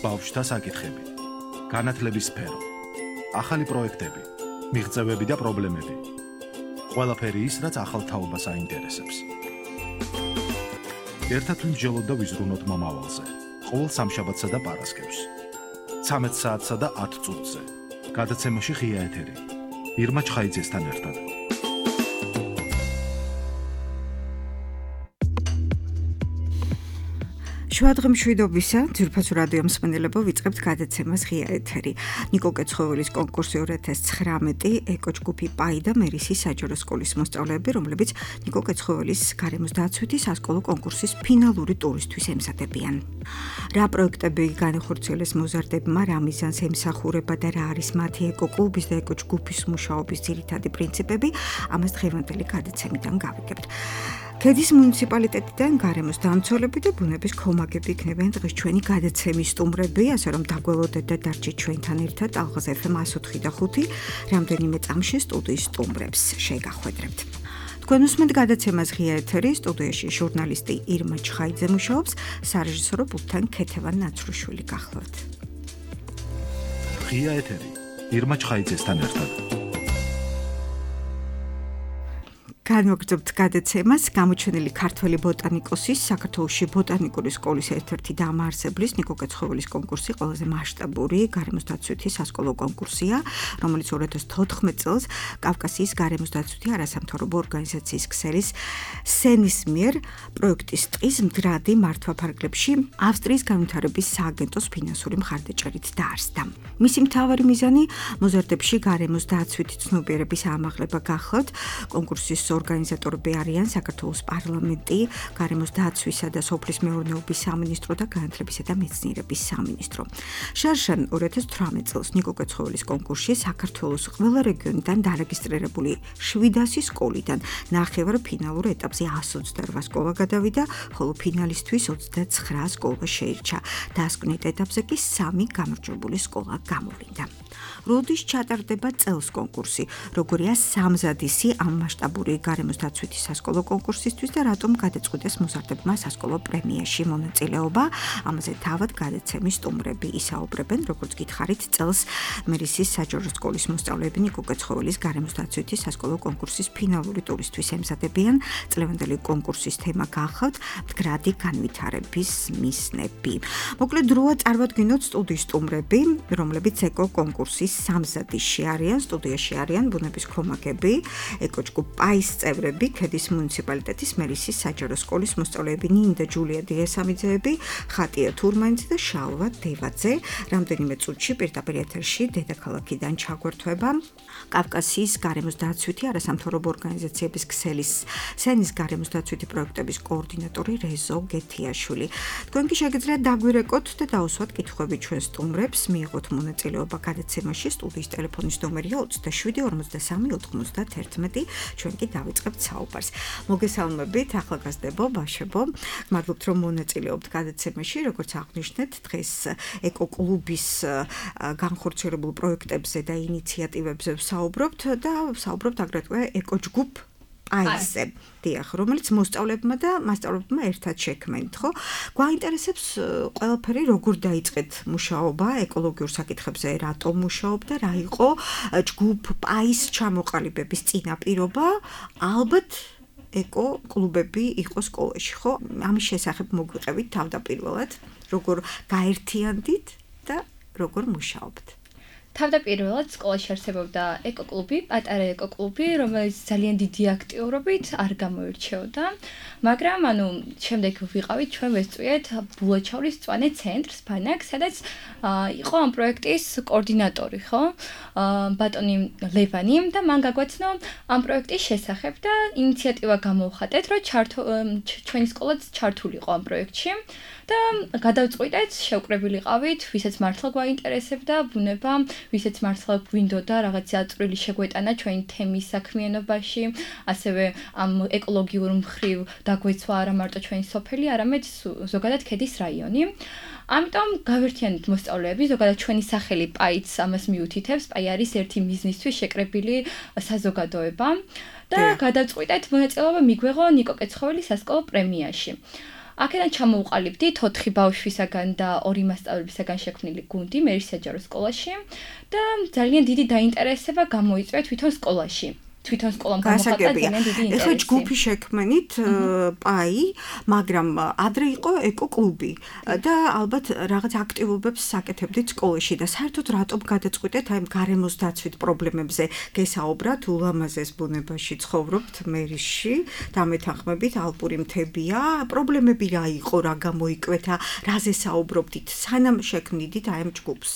ბავშვთა საკითხები, განათლების სფერო, ახალი პროექტები, მიღწევები და პრობლემები. ყველაფერი ის, რაც ახალ თაობას აინტერესებს. ერთად ვიმსჯელოთ და ვიზრუნოთ მომავალზე. ყოველ სამშაბათსა და პარასკევს. 13 საათსა და 10 წუთზე. გადაცემაში ღია ეთერი. ირმა ჩხაიძესთან ერთად. შუადღემშვიდობისა, ძვირფასო რადიო მსმენელებო, ვიწყებთ გადაცემას ღია ეთერი. ნიკო კეცხოველის კონკურსი 2019 ეკოჯგუფი პაი და მერისის საჯარო სკოლის მოსწავლეები, რომლებიც ნიკო კეცხოველის გარემოს დაცვითი სასკოლო კონკურსის ფინალური ტურისთვის ემზადებიან. რა პროექტები განახორციელეს მოზარდებმა, რა მიზანს ემსახურება და რა არის მათი ეკოკლუბის და ეკოჯგუფის მუშაობის ძირითადი პრინციპები, ამას დღევანდელი გადაცემიდან გავიგებთ. ქედის მუნიციპალიტეტიდან გარემოს დამცველები და ბუნების ქომაგები იქნებიან დღეს ჩვენი გადაცემის სტუმრები, ასე რომ დაგველოდეთ და დარჩით ჩვენთან ერთად ალღაზ FM 104 და 5 რამდენიმე წამში სტუდიის სტუმრებს შეგახვედრებთ. თქვენ უსმენთ გადაცემას ღია ეთერი, სტუდიაში ჟურნალისტი ირმა ჩხაიძე მუშაობს, სარეჟისორო პულტთან ქეთევან ნაცრუშვილი გახლავთ. ღია ეთერი, ირმა ჩხაიძესთან ერთად. განვაგრძობთ გადაცემას გამოჩენილი ქართველი ბოტანიკოსის, საქართველოში ბოტანიკური სკოლის ერთ-ერთი დამაარსებლის ნიკო კეცხოველის კონკურსი ყველაზე მასშტაბური გარემოს დაცვითი სასკოლო კონკურსია, რომელიც 2014 წელს კავკასიის გარემოს დაცვითი არასამთავრობო ორგანიზაციის ქსელის სენის მიერ პროექტის ტყის მდგრადი მართვა-ფარგლებში ავსტრიის განვითარების სააგენტოს ფინანსური მხარდაჭერით დაარსდა. მისი მთავარი მიზანი მოზარდებში გარემოს დაცვითი ცნობიერების ამაღლება გახლავთ. კონკურსის ორგანიზატორები არიან საქართველოს პარლამენტი, გარემოს დაცვისა და სოფლის მეურნეობის სამინისტრო და განათლებისა და მეცნიერების სამინისტრო. შარშან 2018 წელს ნიკო კეცხოველის კონკურსში საქართველოს ყველა რეგიონიდან დარეგისტრირებული 700 სკოლიდან ნახევარ ფინალურ ეტაპზე 128 სკოლა გადავიდა, ხოლო ფინალისტვის 29 სკოლა შეირჩა. დასკვნით ეტაპზე კი 3 გამარჯვებული სკოლა გამოვიდა. როდის ჩატარდება წელს კონკურსი, როგორია სამზადისი ამ მასშტაბური გარემოს დაცვითი სასკოლო კონკურსისთვის და რატომ გადაწყვიტეს მოზარდებმა სასკოლო პრემიაში მონაწილეობა, ამაზე თავად გადაცემის სტუმრები ისაუბრებენ, როგორც გითხარით, წელს მერისის საჯარო სკოლის მოსწავლეები ნიკო კეცხოველის გარემოს დაცვითი სასკოლო კონკურსის ფინალური ტურისთვის ემზადებიან. წლევანდელი კონკურსის თემა გახლავთ მდგრადი განვითარების მიზნები. მოკლედ დროა წარმოვადგინოთ სტუდიის სტუმრები, რომლებიც ეკო კონკურსის სამზადისში არიან, სტუდიაში არიან ბუნების ქომაგები, ეკოჯგუფ პაის წევრები, ქედის მუნიციპალიტეტის მერისის საჯარო სკოლის მოსწავლეები ნინი და ჯულია დიასამიძეები, ხატია თურმანიძე და შალვა დევაძე. რამდენიმე წუთში პირდაპირ ეთერში დედაქალაქიდან ჩაგვერთვება კავკასიის გარემოს დაცვითი არასამთავრობო ორგანიზაციების ქსელის სენის გარემოს დაცვითი პროექტების კოორდინატორი რეზო გეთიაშვილი. თქვენ კი შეგიძლიათ დაგვირეკოთ და დაუსვათ კითხვები ჩვენ სტუმრებს, მიიღოთ მონაწილეობა გადაცემაში. სტუდიის ტელეფონის ნომერია 27 53 91. ჩვენ კი დავიწყებთ საუბარს. მოგესალმებით, ახალგაზრდებო, ბავშვებო. მადლობთ, რომ მონაწილეობთ გადაცემაში. როგორც აღნიშნეთ, დღეს ეკოკლუბის განხორციელებულ პროექტებზე და ინიციატივებზე ვსაუბრობთ და ვსაუბრობთ აგრეთვე ეკოჯგუფ პაისზე, დიახ, რომელიც მოსწავლებმა და მასწავლებლებმა ერთად შექმნით, ხო? გვაინტერესებს ყველაფერი, როგორ დაიწყეთ მუშაობა ეკოლოგიურ საკითხებზე, რატომ მუშაობდა, რა იყო ჯგუფ პაის ჩამოყალიბების წინაპირობა, ალბათ ეკო კლუბები იყო სკოლაში, ხო? ამის შესახებ მოგვიყევით თავდაპირველად, როგორ გაერთიანდით და როგორ მუშაობთ. თავდაპირველად სკოლაში არსებობდა ეკოკლუბი, პატარა ეკოკლუბი, რომელიც ძალიან დიდი აქტიურობით არ გამოირჩეოდა, მაგრამ შემდეგ ვიყავით ჩვენ ვესწვიეთ ბულაჩოვრის მწვანე ცენტრს, ბანაკს, სადაც იყო ამ პროექტის კოორდინატორი, ხო? ბატონი ლევანი და მან გაგვაცნო ამ პროექტის შესახებ და ინიციატივა გამოვხატეთ, რომ ჩვენი სკოლაც ჩართულიყო ამ პროექტში. და გადავწყვიტეთ, შევკრებილიყავით, ვისაც მართლა გვაინტერესებდა ბუნება, ვისაც მართლა გვინდოდა რაღაცა წვრილი შეგვეტანა ჩვენი თემის საქმიანობაში, ასევე ამ ეკოლოგიურ მხრივ დაგვეცვა არა მარტო ჩვენი სოფელი, არამედ ზოგადად ქედის რაიონი. ამიტომ გავერთიანეთ მოსწავლეები, ზოგადად ჩვენი სახელი პაიც ამას მიუთითებს, პაი არის ერთი მიზნისთვის შეკრებილი საზოგადოება და გადავწყვიტეთ მონაწილეობა მიგვეღო ნიკო კეცხოველის სასკოლო პრემიაში. აქედან ჩამოვყალიბდი 4 ბავშვისაგან და 2 მასწავლებისაგან შექმნილი გუნდი მერის საჯარო სკოლაში და ძალიან დიდი დაინტერესება გამოიწვია თვითონ სკოლაში. თვითონ სკოლამ გამოხატა ძალიან დიდი ინტერესი. ეხლა ჯგუფი შექმნით პაი, მაგრამ ადრე იყო ეკო-კლუბი და ალბათ რაღაც აქტივობებს საკეთებდით სკოლაში და საერთოდ რატომ გადაწყვიტეთ აი გარემოს დაცვით პრობლემებზე გესაუბრათ, ულამაზეს ბუნებაში ცხოვრობთ მერისში, დამეთანხმებით ალპური მთებია, პრობლემები რა იყო, რა გამოიკვეთა, რაზე საუბრობდით, სანამ შექმნიდით აი ამ ჯგუფს?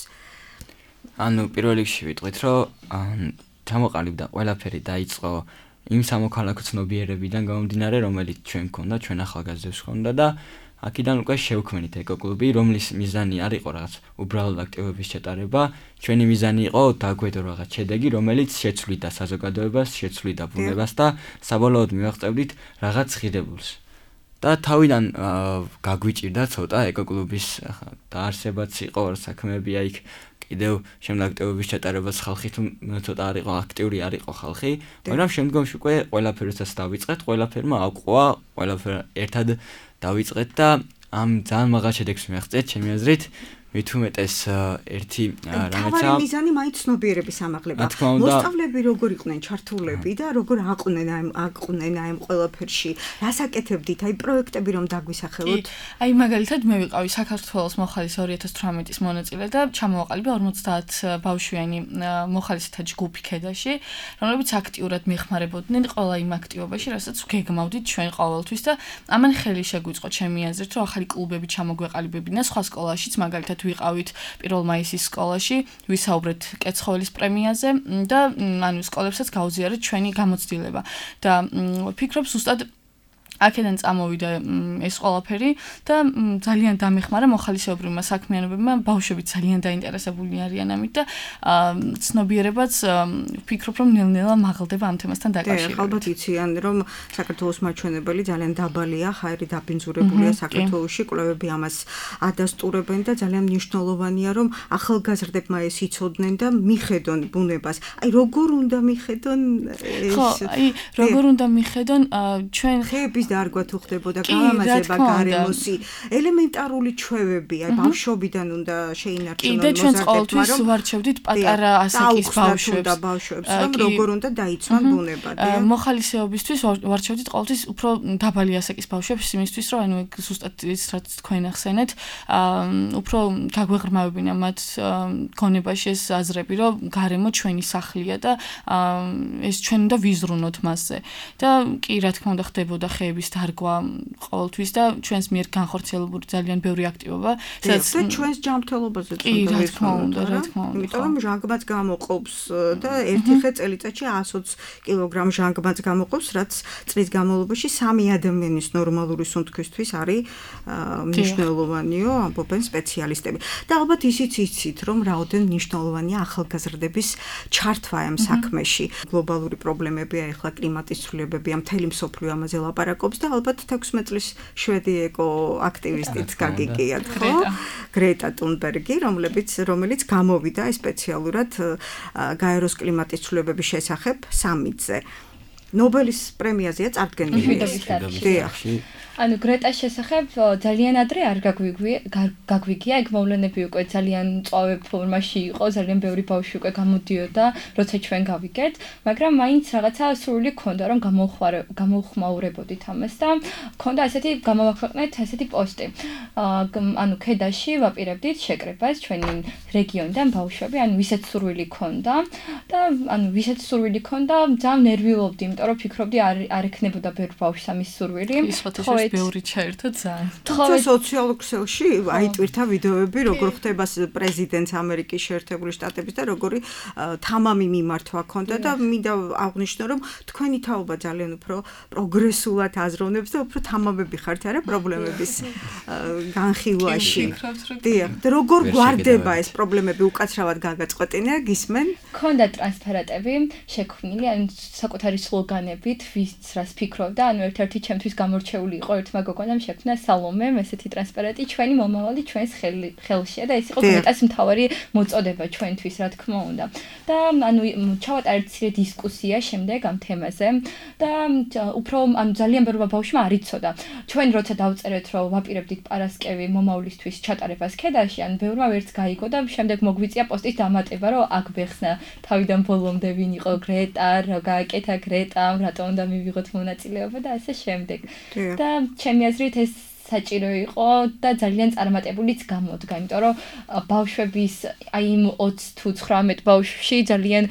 ანუ პირველ რიგში ვიტყვით, რომ ჩამოყალიბდა ყველაფერი დაიწყო იმ სამოქალაქო ცნობიერებიდან გამომდინარე, რომელიც ჩვენ გქონდა, ჩვენ ახალგაზრდებს გქონდა და აქედან უკვე შევქმნით ეკო-კლუბი, რომლის მიზანი არ იყო რაღაც უბრალოდ აქტივობების ჩატარება, ჩვენი მიზანი იყო დაგვედო რაღაც შედეგი, რომელიც შეცვლიდა საზოგადოებას, შეცვლიდა ბუნებას და საბოლოოდ მივაღწევდით რაღაც ღირებულს. და თავიდან გაგვიჭირდა ცოტა ეკო-კლუბის დაარსებაც იყო, საქმეები იქ კიდევ შემდეგ აქტივობის ჩატარებას ხალხი თუ ცოტა არ იყო აქტიური არ იყო ხალხი, მაგრამ შემდგომში უკვე ყველაფერსაც დავიწყეთ, ყველაფერმა აყვყვა, ყველაფერ ერთად დავიწყეთ და ამ ძალიან მაღალ შედეგს მივაღწევთ, ჩემი აზრით, მით უმეტეს ერთი რამეცა თავარი მიზანი მაინც ცნობიერების ამაღლება. მოსწავლეები როგორ იყვნენ ჩართულები და როგორ აყვნენ ამ ყველაფერში, რას აკეთებდით, აი პროექტები რომ დაგვისახელოთ? აი მაგალითად მე ვიყავი საქართველოს მოხალის 2018-ის მონაწილე და ჩამოვაყალიბე 50 ბავშვიანი მოხალისთა ჯგუფი ქედაში, რომლებიც აქტიურად მეხმარებოდნენ ყველა იმ აქტივობაში, რასაც გეგმავდით ჩვენ ყოველთვის და ამან ხელი შეგვიწყო ჩემი აზრით, რომ ახალი კლუბები ჩამოგვეყალიბებინა სხვა სკოლაშიც, მაგალითად ვიყავით 1 მაისის სკოლაში, ვისაუბრეთ კეცხოველის პრემიაზე და ანუ სკოლებსაც გაუზიარეთ ჩვენი გამოცდილება და ვფიქრობ ზუსტად აქედან წამოვიდა ეს ყველაფერი და ძალიან დამეხმარა მოხალისეობრივმა საქმიანობებმა, ბავშვები ძალიან დაინტერესებული არიან ამით და ცნობიერებაც ვფიქრობ რომ ნელ-ნელა მაღლდება ამ თემასთან დაკავშირებით. ალბათ იციან რომ საქართველოს მაჩვენებელი ძალიან დაბალია, ხაერი დაბინძურებულია საქართველოში, კვლევები ამას ადასტურებენ და ძალიან მნიშვნელოვანია რომ ახალგაზრდებმა ეს იცოდნენ და მიხედონ ბუნებას. აი როგორ უნდა მიხედონ ეს? ხო, აი როგორ უნდა მიხედონ ჩვენ ხეების დარგვა თუ ხდებოდა გალამაზება გარემოსი ელემენტარული ჩვევები აი ბავშვობიდან უნდა შეინარჩუნონ მოზარდებმა ჩვენ ყოველთვის ვარჩევდით პატარა ასაკის ბავშვებს რომ როგორ უნდა დაიცვან ბუნება მოხალისეობისთვის ვარჩევდით ყოველთვის უფრო დაბალი ასაკის ბავშვებს იმისთვის რომ ანუ ზუსტად ის რაც თქვენ ახსენეთ უფრო გაგვეღრმავებინა მათ გონებაში ეს აზრები რომ გარემო ჩვენი სახლია და ეს ჩვენ უნდა ვიზრუნოთ მასზე და კი რა თქმა უნდა ხდებოდა ხეების დარგვა ყოველთვის და ჩვენს მიერ განხორციელებული ძალიან ბევრი აქტივობა, სადაც ჩვენს ჯანმრთელობაზეც უნდა ვისაუბროთ, რა თქმა უნდა. იმიტომ რომ ჟანგბადს გამოყოფს და ერთი ხე წელიწადში 120 კილოგრამ ჟანგბადს გამოყოფს, რაც წლის განმავლობაში 3 ადამიანის ნორმალური სუნთქვისთვის არის მნიშვნელოვანიო, ამბობენ სპეციალისტები. და ალბათ ისიც იცით, რომ რაოდენ მნიშვნელოვანია ახალგაზრდების ჩართვა ამ საქმეში. გლობალური პრობლემებია, ეხლა კლიმატის ცვლილებებია, მთელი მსოფლიო ამაზე ლაპარაკობს და ალბათ 16 წლის შვედი ეკო აქტივისტიც გაგიგიათ, ხო? გრეტა თუნბერგი, რომელიც გამოვიდა სპეციალურად გაეროს კლიმატის ცვლილებების შესახებ სამიტზე. ნობელის პრემიაზეა წარდგენილი. ანუ გრეტას შესახებ ძალიან ადრე არ გაგვიგია, ეგ მოვლენები უკვე ძალიან მწვავე ფორმაში იყო, ძალიან ბევრი ბავშვი უკვე გამოდიოდა, როცა ჩვენ გავიგეთ, მაგრამ მაინც რაღაცა სურვილი ქონდა, რომ გამოვხმაურებოდით ამას და ქონდა ასეთი გამოვაქვეყნეთ ასეთი პოსტი. ანუ ქედაში ვაპირებდით შეკრებას ჩვენი რეგიონიდან ბავშვები, ანუ ვისაც სურვილი ქონდა და ანუ ვისაც სურვილი ქონდა, ძალიან ნერვიულობდი, იმიტომ რომ ფიქრობდი არ ექნებოდა ბევრ ბავშვს ამის სურვილი. ბევრი ჩაერთო ძალიან. თუმცა სოციალურ ქსელში აიტვირთა ვიდეოები, როგორ ხდება პრეზიდენტს ამერიკის შეერთებული შტატების და როგორი თამამი მიმართვა ქონდა და მინდა აღვნიშნო, რომ თქვენი თაობა ძალიან უფრო პროგრესულად აზროვნებს და უფრო თამამები ხართ არა პრობლემების განხილვაში. დიახ, როგორ გვარდება ეს პრობლემები უკაცრავად გაგაწყვეტინა, გისმენ? ქონდა ტრანსპარენტები შექმნილი, ანუ საკუთარი სლოგანებით, ვის რას ფიქრობდა, ანუ ერთ-ერთი ჩემთვის გამორჩეული იყო ერთმა გოგონამ შექმნა სალომემ ესეთი ტრანსპარენტი ჩვენი მომავალი ჩვენს ხელშია და ეს იყო მეტად მთავარი მოწოდება ჩვენთვის რა თქმა უნდა და ანუ ჩავატარეთ ცირე დისკუსია შემდეგ ამ თემაზე და უფრო ანუ ძალიან ბევრმა ბავშვმა არ იცოდა ჩვენ როცა დავწერეთ რომ ვაპირებდით პარასკევი მომავლისთვის ჩატარებას ქედაში ან ბევრმა ვერც გაიგო და შემდეგ მოგვიწია პოსტის დამატება რომ აქ ბეხსნა თავიდან ბოლომდე ვინ იყო გრეტა რა გააკეთა გრეტამ რატომ უნდა მივიღოთ მონაწილეობა და ასე შემდეგ და ჩემი აზრით ეს საჭირო იყო და ძალიან წარმატებულიც გამოდგა, იმიტომ რომ ბავშვების აი იმ 20 თუ 19 ბავშვში ძალიან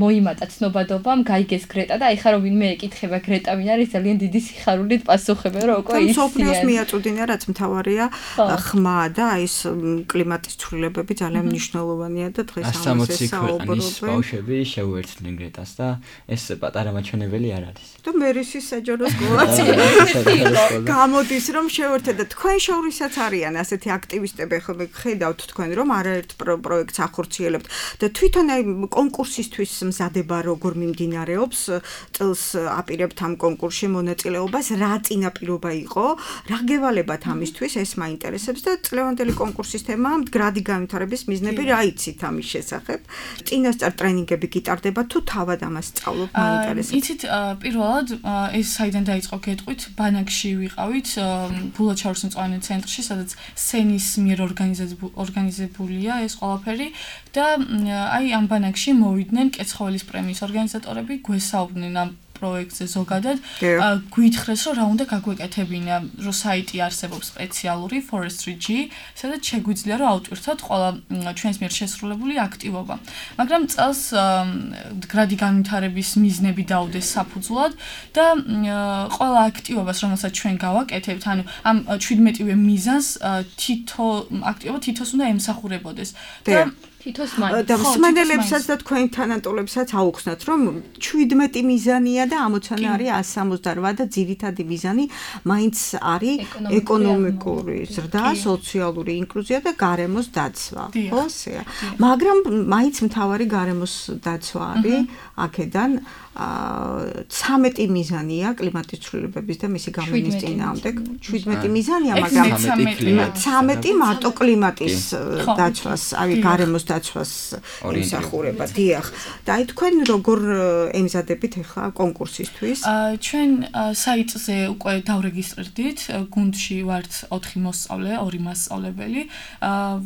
მოიმატა ცნობადობამ, გაიგეს გრეტა და ეხლა რომ ვინმე ეკითხება გრეტა ვინ არის, ძალიან დიდი სიხარულით პასუხება, რომ უკვე ის სოფლიოს მიაწვდინა, რაც მთავარია ხმა და აი ეს კლიმატის ცვლილებები ძალიან მნიშვნელოვანია და დღეს ამაზე 160 ქვეყნის ბავშვები შეუერთდნენ გრეტას და ეს პატარა მაჩვენებელი არ არის. და მერისის საჯარო სკოლაც გამოდის რომ შევერთეთ და თქვენ შორისაც არიან ასეთი აქტივისტები ხოლმე ხედავთ თქვენ რომ არაერთ პროექტს ახორციელებთ და თვითონ აი კონკურსისთვის მზადება როგორ მიმდინარეობს წელს აპირებთ ამ კონკურსში მონაწილეობას რა წინაპირობა იყო რა გევალებათ ამისთვის ეს მაინტერესებს და წლევანდელი კონკურსის თემა მდგრადი განვითარების მიზნები რა იცით ამის შესახებ წინასწარ ტრენინგები გიტარდება თუ თავად ამას სწავლობ მაინტერესებს იცით პირველად ეს საიდან დაიწყო გეტყვით ბანაკში ვიყავით ბულაჩაურის მწვანე ცენტრში, სადაც სენის მიერ ორგანიზებულია ეს ყველაფერი და აი ამ ბანაკში მოვიდნენ კეცხოველის პრემიის ორგანიზატორები, გვესაუბრნენ ამ პროექტზე ზოგადად, გვითხრეს რომ რა უნდა გაგვეკეთებინა, რომ საიტი არსებობს სპეციალური Forestry-G, სადაც შეგვიძლია რომ ავტვირთოთ ყველა ჩვენს მიერ შესრულებული აქტივობა. მაგრამ წელს გრადი განვითარების მიზნები დაუდეს საფუძვლად და ყველა აქტივობას, რომელსაც ჩვენ გავაკეთებთ, ანუ ამ 17-ვე მიზანს თითო აქტივობა თითოს უნდა ემსახურებოდეს. და თითოს მაინც და მსმენელებსაც და თქვენ თანატოლებსაც აუხსნათ რომ 17 მიზანია და ამოცანა არის 168 და ძირითადი მიზანი მაინც არის ეკონომიკური ზრდა, სოციალური ინკლუზია და გარემოს დაცვა. ხო, ესეა. მაგრამ მაინც მთავარი გარემოს დაცვა არის აქედან 13 მიზანია კლიმატის ცვლილებების და მისი გავლენის წინააღმდეგ 17 მიზანია მაგრამ 13 მარტო კლიმატის დაცვას აი გარემოს დაცვას იმსახურება დიახ და აი თქვენ როგორ ემზადებით ახლა კონკურსისთვის ჩვენ საიტზე უკვე დავრეგისტრირდით გუნდში ვართ 4 მოსწავლე 2 მასწავლებელი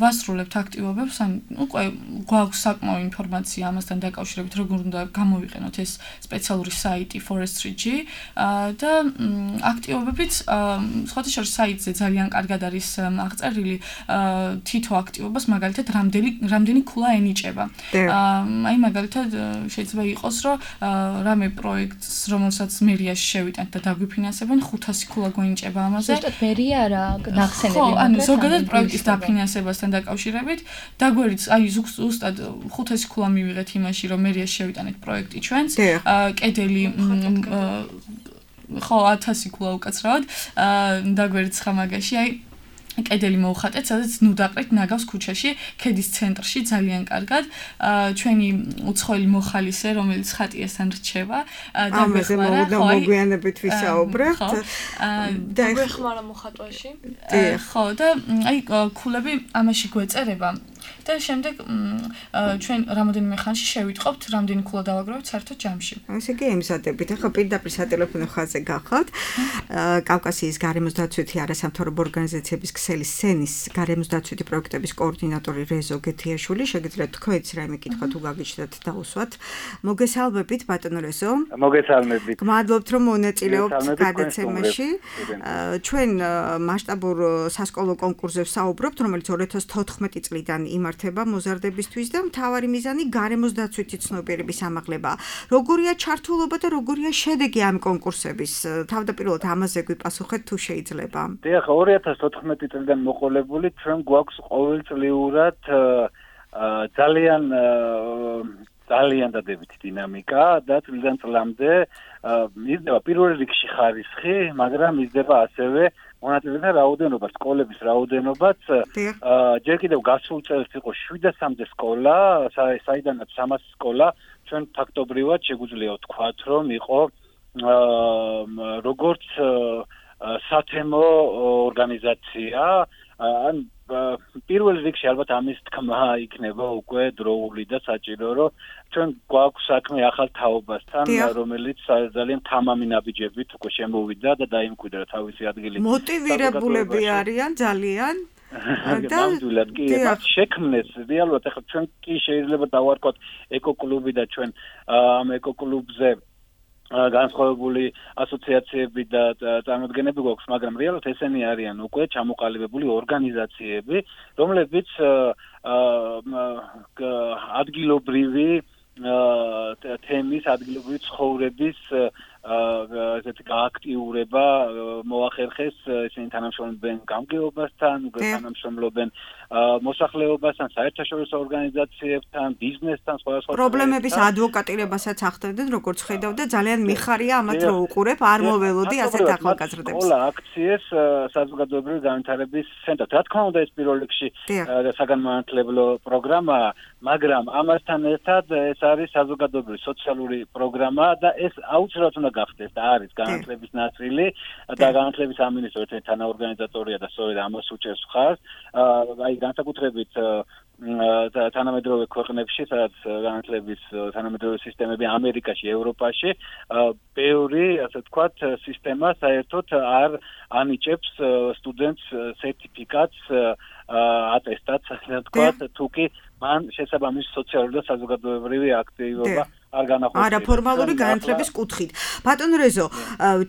ვასრულებთ აქტივობებს ან უკვე გვაქვს საკმაო ინფორმაცია ამასთან დაკავშირებით როგორ უნდა გამოვიყენოთ ეს სპეციალური საიტი Forestry-G და აქტივობებიც სხვათა შორის საიტზე ძალიან კარგად არის აღწერილი თითო აქტივობას მაგალითად რამდენი ქულა ენიჭება. აი მაგალითად შეიძლება იყოს რომ რამე პროექტს რომელსაც მერიაში შევიტანთ და დაგვიფინანსებენ 500 ქულა გვენიჭება ამაზე. ზუსტად მერია რა ნახსენები ხო, ანუ ზოგადად პროექტის დაფინანსებასთან დაკავშირებით დაგვერიც აი ზუსტად 500 ქულა მივიღეთ იმაში რომ მერიაში შევიტანეთ პროექტი ჩვენს კედელი ხო 1000 ქულა უკაცრავად დაგვერიც ხამაგაში აი კედელი მოუხატეთ, სადაც ნუდაყრით ნაგავს ქუჩაში, ქედის ცენტრში ძალიან კარგად. ჩვენი უცხოელი მოხალისე, რომელიც ხატიასთან რჩება, დაგვეხმარა, მოგვიანებით ვისაუბრებთ. და გვეხმარა მოხატვაში. ხო, და აი ქულები ამაში გვეწერება. და შემდეგ ჩვენ რამოდენიმე ხანში შევიტყობთ, რამდენი ქულა დავაგროვებთ საერთოდ ჯამში. ესე იგი ემზადებით. ახლა პირდაპირ სატელეფონო ხაზზე გახავთ. კავკასიის გარემოს დაცვითი არასამთავრობო ორგანიზაციების ქსელის სენის გარემოს დაცვითი პროექტების კოორდინატორი რეზო გეთიაშვილი, შეგიძლიათ თქვენც რაიმე კითხვა თუ გაგიჩნდათ დაუსვათ. მოგესალმებით ბატონო რეზო. მოგესალმებით. გმადლობთ რომ მონაწილეობთ გადაცემაში. ჩვენ მასშტაბურ სასკოლო კონკურსზე ვსაუბრობთ, რომელიც 2014 წლიდან იმართება მოზარდებისთვის და მთავარი მიზანი გარემოს დაცვითი ცნობიერების ამაღლება. როგორია ჩართულობა და როგორია შედეგი ამ კონკურსების? თავდაპირველად ამაზე გვიპასუხეთ თუ შეიძლება. დიახ, 2014 წლიდან მოყოლებული ჩვენ გვაქვს ყოველწლიურად ძალიან დადებითი დინამიკა და წლიდან წლამდე მისდება პირველ რიგში ხარისხი, მაგრამ მისდება ასევე მონაწილეთა რაოდენობა, სკოლების რაოდენობაც. ჯერ კიდევ გასულ წელს იყო 700-მდე სკოლა, საიდანაც 300 სკოლა, ჩვენ ფაქტობრივად შეგვიძლია ვთქვათ, რომ იყო როგორც სათემო ორგანიზაცია ან პირველ რიგში ალბათ ამის თქმა იქნება უკვე დროული და საჭირო რომ ჩვენ გვაქვს საქმე ახალ თაობასთან რომელიც ძალიან თამამი ნაბიჯებით უკვე შემოვიდა და დაიმკვიდრა თავისი ადგილი მოტივირებულები არიან ძალიან და მათ შექმნეს რეალურად ახლა ჩვენ კი შეიძლება დავარქვათ ეკოკლუბი და ჩვენ ამ ეკოკლუბზე განსხვავებული ასოციაციები და წარმოდგენები გვაქვს, მაგრამ რეალურად ესენი არიან უკვე ჩამოყალიბებული ორგანიზაციები, რომლებიც ადგილობრივი თემის, ადგილობრივი ცხოვრების ესეთი გააქტიურება მოახერხეს, ისინი თანამშრომლობენ გამგეობასთან, თანამშრომლობენ მოსახლეობასთან, საერთაშორისო ორგანიზაციებთან, ბიზნესთან, სხვადასხვა პრობლემების ადვოკატირებასაც ახდენდნენ, როგორც ხედავ და ძალიან მიხარია ამათ რო უყურებ, არ მოველოდი ასეთ ახალგაზრდებს. ყველა აქციეს საზოგადოებრივი განვითარების ცენტრად. რა თქმა უნდა, ეს პირველ რიგში საგანმანათლებლო პროგრამაა, მაგრამ ამასთან ერთად ეს არის საზოგადოებრივი სოციალური პროგრამა და ეს აუცილებლად უნდა გახდეს და არის განათლების ნაწილი და განათლების სამინისტრო ერთ-ერთი თანაორგანიზატორია და სწორედ ამას უჭერს მხარს. აი განსაკუთრებით თანამედროვე ქვეყნებში, სადაც განათლების თანამედროვე სისტემები ამერიკაში, ევროპაში, ბევრი, ასე ვთქვათ, სისტემა საერთოდ არ ანიჭებს სტუდენტს სერტიფიკატს, ატესტატს, ასე ვთქვათ, თუკი მან შესაბამისი სოციალური და საზოგადოებრივი აქტივობა არ განახორციელა. არაფორმალური განათლების კუთხით. ბატონო რეზო,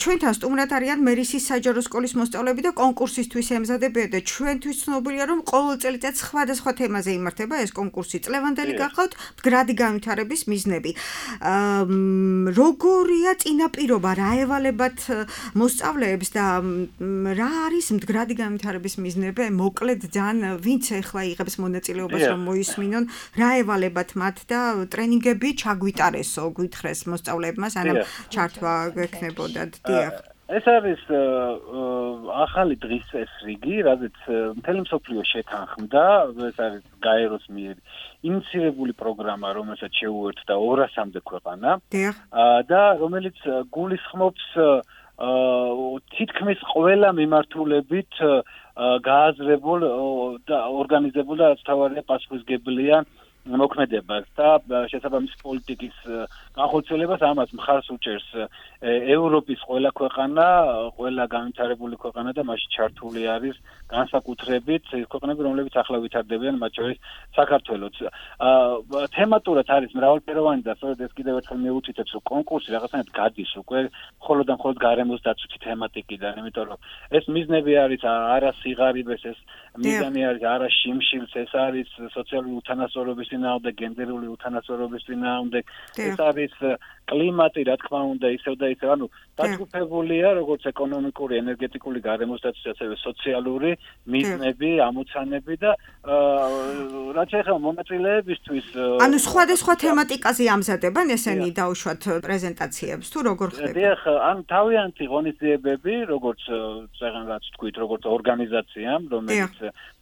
ჩვენთან სტუმრად არიან მერისის საჯარო სკოლის მოსწავლეები და კონკურსისთვის ემზადებიან და ჩვენთვის ცნობილია, რომ ყოველ წელიწადს სხვადასხვა თემაზე იმართება ეს კონკურსი. წლევანდელი გახავთ მდგრადი განვითარების მიზნები. როგორია წინაპირობა, რა ევალებათ მოსწავლეებს და რა არის მდგრადი განვითარების მიზნები? მოკლედ ძალიან ვინც ახლა იღებს მონაწილეობას რომ მოისმინონ, რა ევალებათ მათ და ტრენინგები ჩაგვიტარესო, გვითხრეს მოსწავლეებმა, სანამ ჩართვა გექნებოდათ. დიახ. ეს არის ახალი დღის წესრიგი, რაზეც მთელი მსოფლიო შეთანხმდა, ეს არის გაეროს მიერ ინიციირებული პროგრამა, რომელსაც შეუერთდა 200-მდე ქვეყანა და რომელიც გულისხმობს თითქმის ყველა მიმართულებით გააზრებულ და ორგანიზებულ და რაც თავარია პასუხისმგებელია მოქმედებას და შესაბამის პოლიტიკის განხორციელებას ამას მხარს უჭერს ევროპის ყველა ქვეყანა, ყველა განვითარებული ქვეყანა და მასში ჩართული არის განსაკუთრებით ქვეყნები, რომლებიც ახლა ვითარდებიან, მათ შორის საქართველოც. თემატურად არის მრავალფეროვანი და სწორედ ეს კიდევ ერთხელ მიუთითებს, რომ კონკურსი რაღაცნაირად გადის უკვე მხოლოდ და მხოლოდ გარემოს დაცვითი თემატიკიდან, იმიტომ რომ ეს მიზნები არის არა სიღარიბეს, ეს მიზანი არის არა შიმშილს, ეს არის სოციალური უთანასწორობის წინააღმდეგ, გენდერული უთანასწორობის წინააღმდეგ, ეს არის კლიმატი, რა თქმა უნდა, ისევ და ისევ, ანუ დაჯგუფებულია როგორც ეკონომიკური, ენერგეტიკული, გარემოს დაცვის, ასევე სოციალური მიზნები, ამოცანები და რაც ეხება მონაწილეებისთვის, ანუ სხვადასხვა თემატიკაზე ამზადებენ ესენი დაუშვათ პრეზენტაციებს თუ როგორ ხდება? დიახ, ან თავიანთი ღონისძიებები, როგორც რაღაც თქვით, როგორც ორგანიზაციამ, რომელიც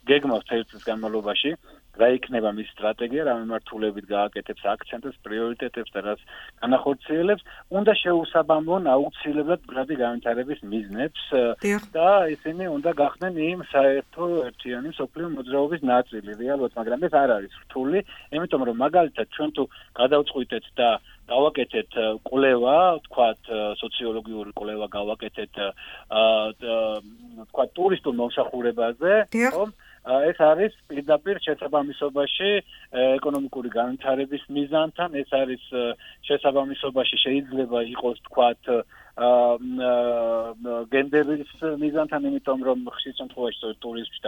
გეგმავს წელიწადის განმავლობაში რა იქნება მის სტრატეგია, რა მიმართულებით გააკეთებს აქცენტებს, პრიორიტეტებს და რაც განახორციელებს, უნდა შეუსაბამონ აუცილებლად მდგრადი განვითარების მიზნებს და ისინი უნდა გახდნენ იმ საერთო ერთიანი მსოფლიო მოძრაობის ნაწილი, რეალურად, მაგრამ ეს არ არის რთული, იმიტომ რომ მაგალითად ჩვენ თუ გადავწყვიტეთ და გავაკეთეთ კვლევა, თქვათ სოციოლოგიური კვლევა გავაკეთეთ თქვათ ტურისტულ მომსახურებაზე, ხო? ეს არის პირდაპირ შესაბამისობაში ეკონომიკური განვითარების მიზანთან, ეს არის შესაბამისობაში შეიძლება იყოს თქვათ გენდერის მიზანთან, იმიტომ რომ ხშირ შემთხვევაში ტურიზმში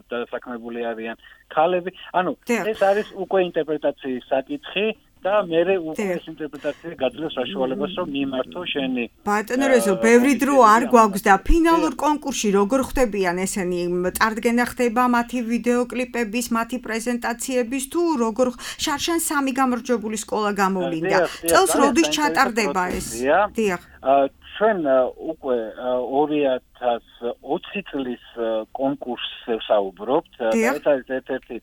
დასაქმებული არიან ქალები. ანუ ეს არის უკვე ინტერპრეტაციის საკითხი და მე უკვე ეს ინტერპრეტაცია გაძლევს საშუალებას, რომ მიმართო შენი. ბატონო რეზო, ბევრი დრო არ გვაქვს და ფინალურ კონკურსში როგორ ხდებიან ესენი? წარდგენა ხდება მათი ვიდეოკლიპების, მათი პრეზენტაციების თუ როგორ შარშან 3 გამარჯვებული სკოლა გამოვლინდა. წელს როდის ჩატარდება ეს? დიახ. ჩვენ უკვე 2020 წლის კონკურსს ვსაუბრობთ. ეს არის ერთ-ერთი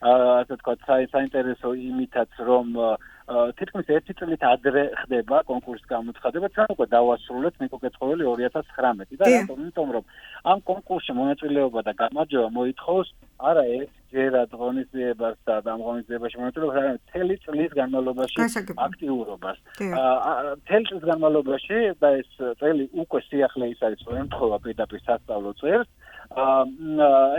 ასე ვთქვათ, საინტერესო იმითაც, რომ თითქმის 1 წლით ადრე ხდება კონკურსის გამოცხადება, ჩვენ უკვე დავასრულეთ ნიკო კეცხოველი 2019 და რატომ? იმიტომ რომ ამ კონკურსში მონაწილეობა და გამარჯვება მოითხოვს არა ერთჯერად ღონისძიებას და ამ ღონისძიებაში მონაწილეობას, არამედ მთელი წლის განმავლობაში აქტიურობას. მთელი წლის განმავლობაში და ეს წელი უკვე სიახლე ის არის, რომ ემთხვევა პირდაპირ სასწავლო წელს.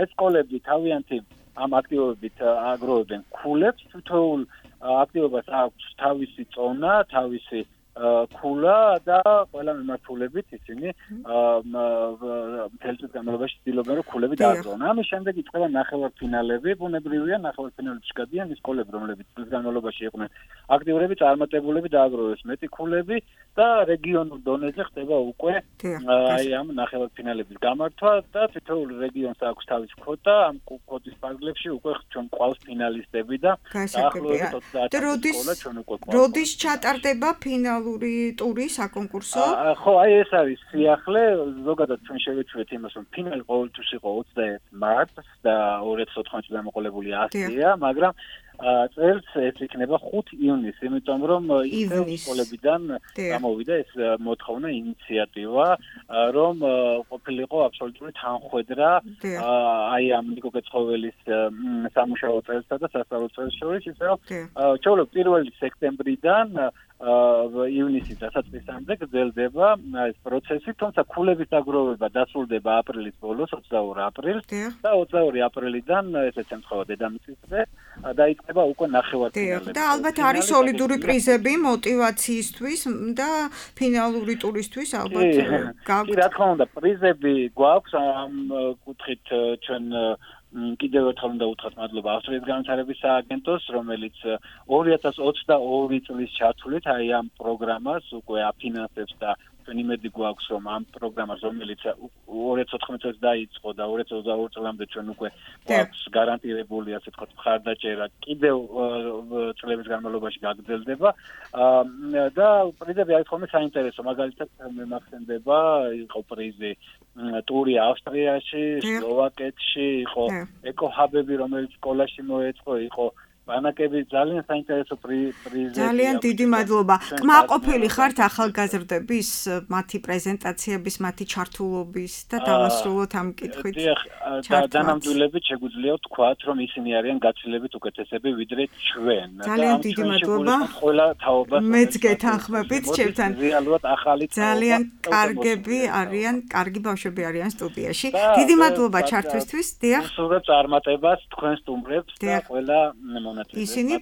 ეს სკოლები თავიანთი ამ აქტივობებით აგროვებენ ქულებს, თითოეულ აქტივობას აქვს თავისი წონა, თავისი ქულა და ყველა მიმართულებით ისინი მთელი წლის განმავლობაში ცდილობენ რომ ქულები დააგროვონ. ამის შემდეგ იწყება ნახევარფინალები, ბუნებრივია ნახევარფინალებში გადიან ის სკოლები, რომლებიც წლის განმავლობაში იყვნენ აქტიურები, წარმატებულები დააგროვეს მეტი ქულები და რეგიონულ დონეზე ხდება უკვე აი ამ ნახევარფინალების გამართვა და თითოეულ რეგიონს აქვს თავის კვოტა, ამ კვოტის ფარგლებში უკვე ჩვენ ყავს ფინალისტები და დაახლოებით 30 სკოლა ჩვენ უკვე ყავს. როდის ჩატარდება ფინალური ტური საკონკურსო? ხო, აი ეს არის სიახლე, ზოგადად ჩვენ შევეჩვეთ იმას, რომ ფინალი ყოველთვის იყო 21 მარტს და 2014 წელს მოყოლებული 100-ია, მაგრამ წელს ეს იქნება 5 ივნისს, იმიტომ რომ სკოლებიდან გამოვიდა ეს მოთხოვნა, ინიციატივა, რომ ყოფილიყო აბსოლუტური თანხვედრა აი ამ ნიკო კეცხოველის სამუშაო წელსა და სასწავლო წელს შორის, ისე რომ ჩვეულებრივ 1 სექტემბრიდან ივნისის დასაწყისამდე გრძელდება ეს პროცესი, თუმცა ქულების დაგროვება დასრულდება აპრილის ბოლოს, 22 აპრილს და 22 აპრილიდან ესეც ემთხვევა დედამიწის დღე დაიწყება უკვე ნახევარფინალები. და ალბათ არის სოლიდური პრიზები მოტივაციისთვის და ფინალური ტურისთვის ალბათ გაქვთ. კი, რა თქმა უნდა, პრიზები გვაქვს ამ კუთხით ჩვენ კიდევ ერთხელ უნდა უთხრათ მადლობა ავსტრიის განვითარების სააგენტოს, რომელიც 2022 წლის ჩათვლით აი ამ პროგრამას უკვე აფინანსებს და ჩვენ იმედი გვაქვს, რომ ამ პროგრამას, რომელიც 2014 წელს დაიწყო და 2022 წლამდე ჩვენ უკვე გვაქვს გარანტირებული, ასე ვთქვათ, მხარდაჭერა კიდევ წლების განმავლობაში გაგრძელდება და პრიზები არის ხოლმე საინტერესო, მაგალითად მე მახსენდება იყო პრიზი ტური ავსტრიაში, სლოვაკეთში, იყო ეკოჰაბები, რომელიც სკოლაში მოეწყო, იყო ბანაკები, ძალიან საინტერესო პრიზები. ძალიან დიდი მადლობა. კმაყოფილი ხართ ახალგაზრდების, მათი პრეზენტაციების, მათი ჩართულობის და დავასრულოთ ამ კითხვით. დანამდვილებით შეგვიძლია ვთქვათ, რომ ისინი არიან გაცილებით უკეთესები ვიდრე ჩვენ. ძალიან დიდი მადლობა. ყველა თაობას მეც გეთანხმებით ჩემთან. რეალურად ახალი ძალიან კარგები არიან, კარგი ბავშვები არიან სტუდიაში. დიდი მადლობა ჩართვისთვის. დიახ. სულებს წარმატებას თქვენ სტუმრებს და ყველა ისინი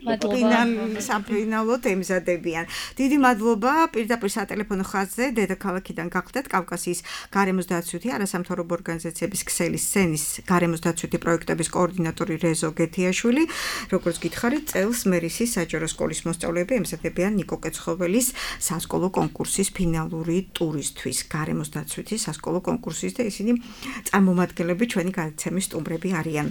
საფინალოდ ემზადებიან. დიდი მადლობა. პირდაპირ სატელეფონო ხაზზე დედაქალაქიდან გახლდათ კავკასიის გარემოს დაცვითი არასამთავრობო ორგანიზაციების ქსელის სცენის გარემოს დაცვითი პროექტების კოორდინატორი რეზო გეთიაშვილი. როგორც გითხარით, წელს მერისის საჯარო სკოლის მოსწავლეები ემზადებიან ნიკო კეცხოველის სასკოლო კონკურსის ფინალური ტურისთვის. გარემოს დაცვითი სასკოლო კონკურსის და ისინი წარმომადგენლები ჩვენი გადაცემის სტუმრები არიან.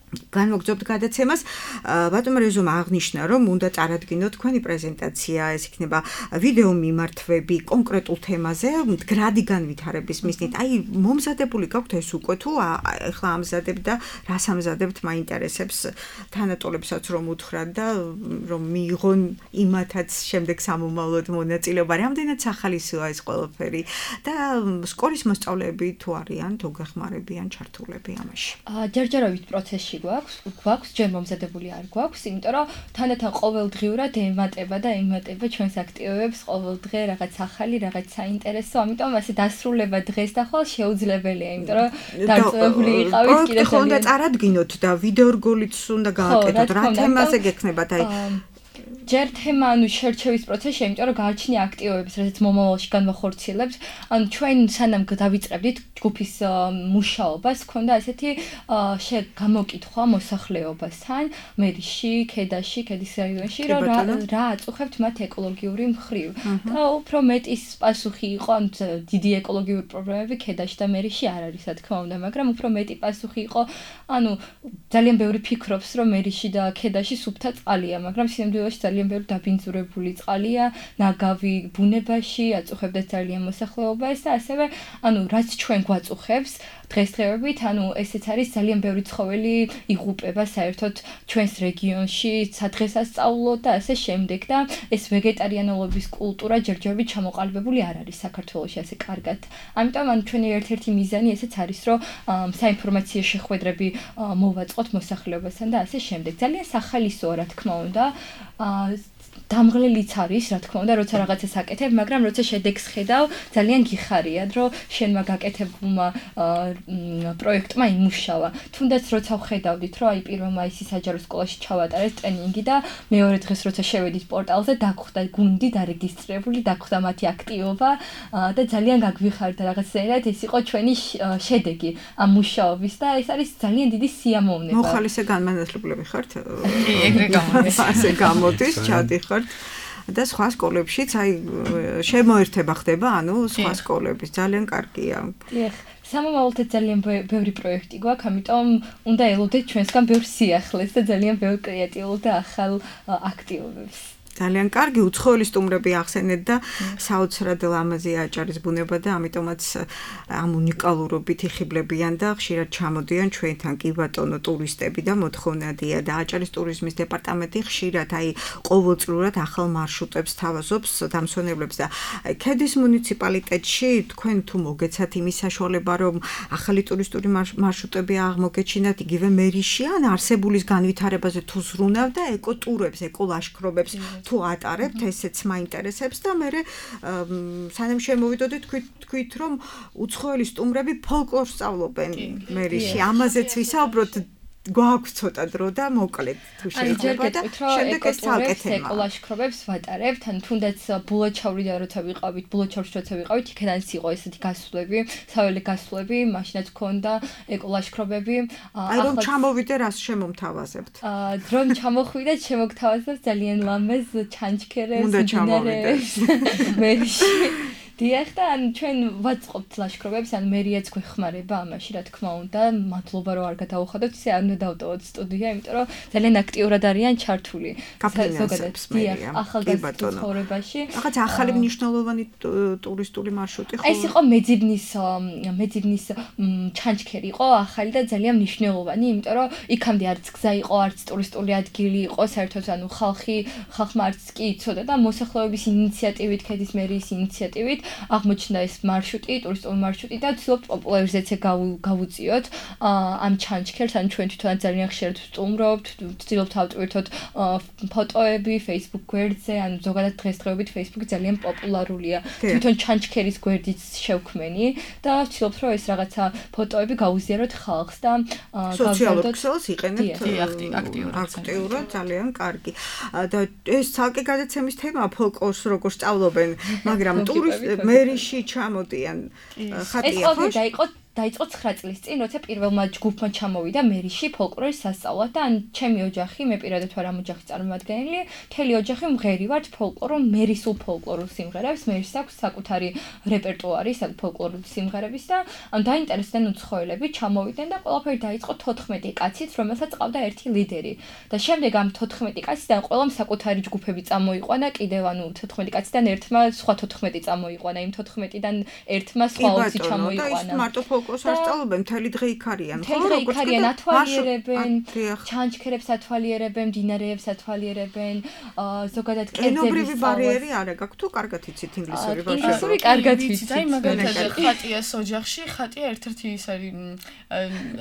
განვაგრძობთ გადაცემას. ბატონო რეზომა აღნიშნა, რომ უნდა წარადგინოთ თქვენი პრეზენტაცია, ეს იქნება ვიდეო მიმართვები კონკრეტულ თემაზე, მდგრადი განვითარების მიზნით. აი, მომზადებული გაქვთ ეს უკვე თუ ახლა ამზადებთ და რას ამზადებთ, მაინტერესებს თანატოლებსაც რომ უთხრათ და რომ მიიღონ იმათაც შემდეგ სამომავლოდ მონაწილეობა. რამდენად სახალისოა ეს ყველაფერი და სკოლის მოსწავლეები თუ არიან, თუ გეხმარებიან ჩართულები ამაში. ჯერჯერობით პროცესში გვაქვს, ჯერ მომზადებული არ გვაქვს, იმიტომ რომ თანდათან ყოველდღიურად ემატება ჩვენს აქტივობებს, ყოველდღე რაღაც ახალი, რაღაც საინტერესო, ამიტომ ასე დასრულება დღეს და ხვალ შეუძლებელია, იმიტომ რომ დარწმუნებული იყავით კიდევ ხო უნდა წარადგინოთ და ვიდეო რგოლიც უნდა გააკეთოთ, რა თემაზე გექნებათ აი ჯერ თემა შერჩევის პროცესში, იმიტომ რომ გააჩნია აქტივობებს, რასაც მომავალში განვახორციელებთ. ჩვენ სანამ დავიწყებდით ჯგუფის მუშაობას, ჰქონდა ესეთი გამოკითხვა მოსახლეობასთან, მერიში, ქედაში, ქედის რაიონში, რომ რა აწუხებთ მათ ეკოლოგიური მხრივ. და უფრო მეტის პასუხი იყო, დიდი ეკოლოგიური პრობლემები ქედაში და მერიში არ არის, რა თქმა უნდა, მაგრამ უფრო მეტი პასუხი იყო, ძალიან ბევრი ფიქრობს, რომ მერიში და ქედაში სუფთა წყალია, მაგრამ სინამდვილეში ძალიან ბევრი დაბინძურებული წყალია, ნაგავი ბუნებაში, აწუხებდა ძალიან მოსახლეობას და ასევე, რაც ჩვენ გვაწუხებს, დღესდღეობით, ანუ ესეც არის ძალიან ბევრი ცხოველი იღუპება საერთოდ ჩვენს რეგიონში, სადღესასწაულო და ასე შემდეგ და ეს ვეგეტარიანულობის კულტურა ჯერჯერობით ჩამოყალიბებული არ არის საქართველოში ასე კარგად. ამიტომ ან ჩვენი ერთ-ერთი მიზანი ესეც არის, რომ საინფორმაციო შეხვედრები მოვაწყოთ მოსახლეობასთან და ასე შემდეგ. ძალიან სახალისოა, რა თქმა უნდა. დამღლელიც არის, რა თქმა უნდა, როცა რაღაცას აკეთებ, მაგრამ როცა შედეგს ხედავ, ძალიან გიხარიად, რომ შენმა გაკეთებულმა პროექტმა იმუშავა. თუნდაც როცა ვხედავდით, რომ აი 1 მაისის საჯარო სკოლაში ჩავატარეთ ტრენინგი და მეორე დღეს როცა შევედით პორტალზე, დაგხვდა გუნდი დარეგისტრირებული, დაგხვდა მათი აქტივობა და ძალიან გაგვიხარდა რაღაცნაირად ეს იყო ჩვენი შედეგი ამ მუშაობის და ეს არის ძალიან დიდი სიამოვნება. მოხალისე განმანათლებლები ხართ? კი, ეგრე გამოდის. ასე გამოდის, ჩადიხართ. და სხვა სკოლებშიც აი შემოერთება ხდება, ანუ სხვა სკოლების ძალიან კარგია. დიახ, სამომავლოდ ძალიან ბევრი პროექტი გვაქვს, ამიტომ უნდა ელოდეთ ჩვენსგან ბევრ სიახლეს და ძალიან ბევრ კრეატიულ და ახალ აქტივობებს. ძალიან კარგი უცხოელი სტუმრები ახსენეთ და საოცრად ლამაზი აჭარის ბუნება და ამიტომაც ამ უნიკალურობით იხიბლებიან და ხშირად ჩამოდიან ჩვენთან კი ბატონო ტურისტები და მოთხოვნადია და აჭარის ტურიზმის დეპარტამენტი ხშირად აი ყოველწლიურად ახალ მარშრუტებს თავაზობს დამსვენებლებს და ქედის მუნიციპალიტეტში თქვენ თუ მოგეცათ იმის საშუალება რომ ახალი ტურისტული მარშრუტები აღმოგეჩინათ იგივე მერიაში ან არსებულის განვითარებაზე თუ ზრუნავ და ეკოტურებს, ეკოლაშქრობებს თუ ატარებთ, ესეც მაინტერესებს და მე სანამ შემოვიდოდით თქვით რომ უცხოელი სტუმრები ფოლკლორს სწავლობენ მერიაში, ამაზეც ვისაუბროთ გვაქვს ცოტა დრო და მოკლედ თუ შეიძლება და შემდეგ ეს ცალკე თემა. ეკოლაშქრობებს ვატარებთ, ან თუნდაც ბულაჩავრიდან როცა ვიყავით, ბულაჩავრში როცა ვიყავით, იქედანაც იყო ესეთი გასვლები, საველე გასვლები, მაშინაც გქონდა ეკოლაშქრობები. აი რომ ჩამოვიდე, რას შემომთავაზებთ? დრომ ჩამოხვიდე, შემოგთავაზებთ ძალიან ლამაზ ჩანჩქერებს, მდინარეებს, მერიაში. დიახ და ან ჩვენ ვაწყობთ ლაშქრობებს, ან მერიაც გვეხმარება ამაში, რა თქმა უნდა, მადლობა რომ არ გადავუხადოთ, ისე არ უნდა დავტოვოთ სტუდია, იმიტომ რომ ძალიან აქტიურად არიან ჩართული. გაფინანსებს მერია. ახალგაზრდა ცხოვრებაში. რაღაც ახალი მნიშვნელოვანი ტურისტული მარშრუტი ხო? ეს იყო მეძიბნის ჩანჩქერი იყო, ახალი და ძალიან მნიშვნელოვანი, იმიტომ რომ იქამდე არც გზა იყო, არც ტურისტული ადგილი იყო, საერთოდ ანუ ხალხმა არც კი იცოდა და მოსახლეობის ინიციატივით, ქედის მერიის ინიციატივით აღმოჩნდა ეს მარშრუტი, ტურისტული მარშრუტი და ვცდილობთ პოპულარიზაცია გავუწიოთ ამ ჩანჩქერს, ან ჩვენ თვითონ ძალიან ხშირად ვსტუმრობთ, ვცდილობთ ავტვირთოთ ფოტოები Facebook გვერდზე, ან ზოგადად დღესდღეობით Facebook ძალიან პოპულარულია. თვითონ ჩანჩქერის გვერდიც შევქმენი და ვცდილობთ რომ ეს რაღაცა ფოტოები გავუზიაროთ ხალხს და სოციალურ ქსელს იყენებთ აქტიურად, ძალიან კარგი. და ეს ცალკე გადაცემის თემაა ფოლკლორს როგორ სწავლობენ, მაგრამ მერიაში ჩამოდიან ხატია ხო? დაიწყო 9 წლის წინ, როცა პირველმა ჯგუფმა ჩამოვიდა მერიაში ფოლკლორის სასწავლად და ან ჩემი ოჯახი, მე პირადად ვარ ამ ოჯახის წარმომადგენელი, მთელი ოჯახი მღერი ვართ მერისულ ფოლკლორულ სიმღერებს, მერის აქვს საკუთარი რეპერტუარი ფოლკლორული სიმღერების და ან დაინტერესდნენ უცხოელები, ჩამოვიდნენ და ყველაფერი დაიწყო 14 კაცით, რომელსაც ყავდა ერთი ლიდერი. და შემდეგ ამ 14 კაციდან ყველამ საკუთარი ჯგუფები წამოიყვანა, კიდევ ანუ 14 კაციდან ერთმა სხვა 14 წამოიყვანა, იმ 14-დან ერთმა სხვა 20 ჩამოიყვანა. ფოლკლორს არ სწავლობენ, მთელი დღე იქ არიან, ხო? მთელი დღე იქ არიან, ათვალიერებენ, ჩანჩქერებს ათვალიერებენ, მდინარეებს ათვალიერებენ, ზოგადად კერძები ენობრივი ბარიერი არა გაქვთ თუ კარგად იცით ინგლისური ბავშვები? ინგლისური კარგად ვიცით. აი მაგალითად ხატიას ოჯახში, ხატია ერთ-ერთი ის არის,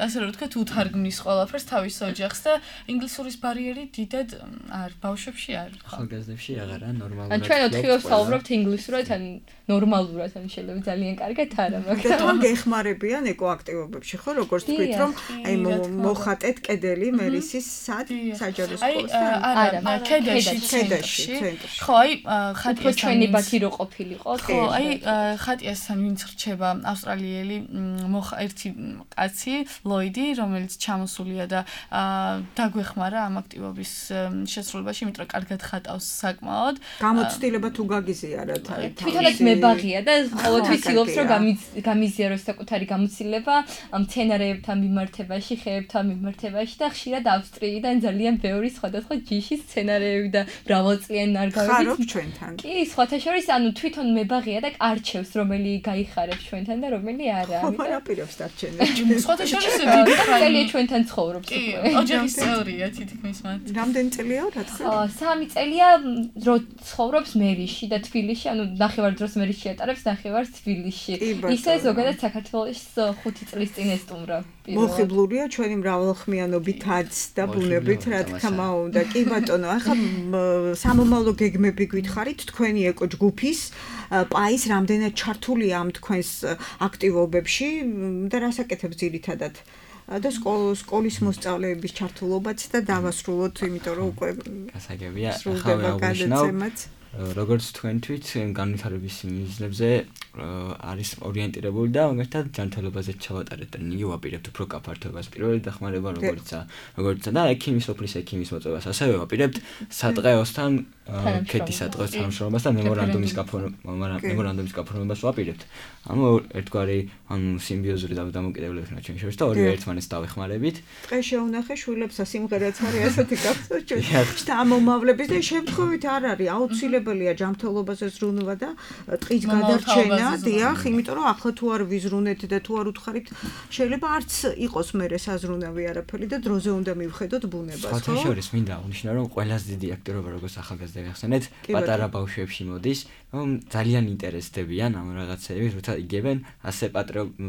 ასე რომ ვთქვათ, უთარგმნის ყველაფერს თავის ოჯახს და ინგლისურის ბარიერი დიდად არ ბავშვებში არ ხო? ახალგაზრდებში აღარა ნორმალურად. ან ჩვენ 4 დღე ვსაუბრობთ ინგლისურად, ან ნორმალურად, ან შეიძლება ძალიან კარგად არა, მაგრამ თან გეხმარებიან ეკოაქტივობებში, ხო, როგორც თქვით, რომ აი მოხატეთ კედელი მერისის საჯარო სკოლასთან? არა, კედელში, ცენტრში. ხო, აი ხატიას ჩვენი ბათი რო ყოფილიყო, ხო, აი ხატიასთან ვინც რჩება ავსტრალიელი ერთი კაცი, ლოიდი, რომელიც ჩამოსულია და დაგვეხმარა ამ აქტივობის შესრულებაში, იმიტომ რომ კარგად ხატავს საკმაოდ. გამოცდილება თუ გაგიზიარათ აი თვითონაც მებაღია და ყოველთვის ილობს რომ გამიზიაროს საკუთარი გამოცდილება მცენარეებთან მიმართებაში, ხეებთან მიმართებაში და ხშირად ავსტრიიდან ძალიან ბევრი სხვადასხვა ჯიშის მცენარეები და მრავალწლიანი ნარგავები. ხარობ ჩვენთან. კი, სხვათა შორის, ანუ თვითონ მებაღია და არჩევს, რომელი გაიხარებს ჩვენთან და რომელი არა. ამიტომ აპირებს დარჩენებს. სხვათა შორის დიდი ხალხი ჩვენთან ცხოვრობს უკვე. ოჯახის წევრია თითქმის მათ. რამდენი წელია რა თქმა უნდა? 3 წელია რო ცხოვრობს მერიში და თბილისში, ანუ ნახევარდროს მერიში ატარებს, ნახევარს თბილისში. ისე ზოგადად საქართველოს 5 წლის წინ ესტუმრა. მოხიბლულია ჩვენი მრავალხმიანობითაც და ბუნებით, რა თქმა უნდა. კი ბატონო, ახლა სამომავლო გეგმები გითხარით თქვენი ეკო ჯგუფის პაის რამდენად ჩართულია ამ თქვენს აქტივობებში და რას აკეთებს ძირითადად? და სკოლის მოსწავლეების ჩართულობაც და დავასრულოთ, იმიტომ რომ უკვე გასაგებია, სრულდება გადაცემაც. როგორც თქვენ თვით განვითარების მიზნებზე არის ორიენტირებული და მაგალითად ჯანმრთელობაზე ჩავატარეთ და ნიუ ვაპირებთ უფრო გაფართოებას პირველი დახმარება როგორიცაა და ექიმის ოფლის ექიმის მოწვევას ასევე ვაპირებთ სადღეოსთან ქედის სადღეოს თანამშრომლობას და მემორანდუმის გაფორმებას ვაპირებთ. ანუ ერთგვარი სიმბიოზური დამოკიდებულებაა ჩვენ შორის და ორივე ერთმანეთს დავეხმარებით. დღეს შეუნახე შვილებსა სიმღერაც არის ასეთი გასწორებით და ამომავლების და შემთხვევით არ არის აუცილებელია ჯანმრთელობაზე ზრუნვა და ტყის გადარჩენა, დიახ, იმიტომ რომ ახლა თუ არ ვიზრუნეთ და თუ არ უთხარით, შეიძლება არც იყოს მერე საზრუნავი არაფერი და დროზე უნდა მივხედოთ ბუნებას, ხო? სხვათა შორის მინდა აღნიშნო, რომ ყველაზე დიდი აქტიურობა როგორც ახალგაზრდა გახსენეთ, პატარა ბავშვებში მოდის, რომ ძალიან ინტერესდებიან ამ რაღაცეები, როცა იგებენ ასე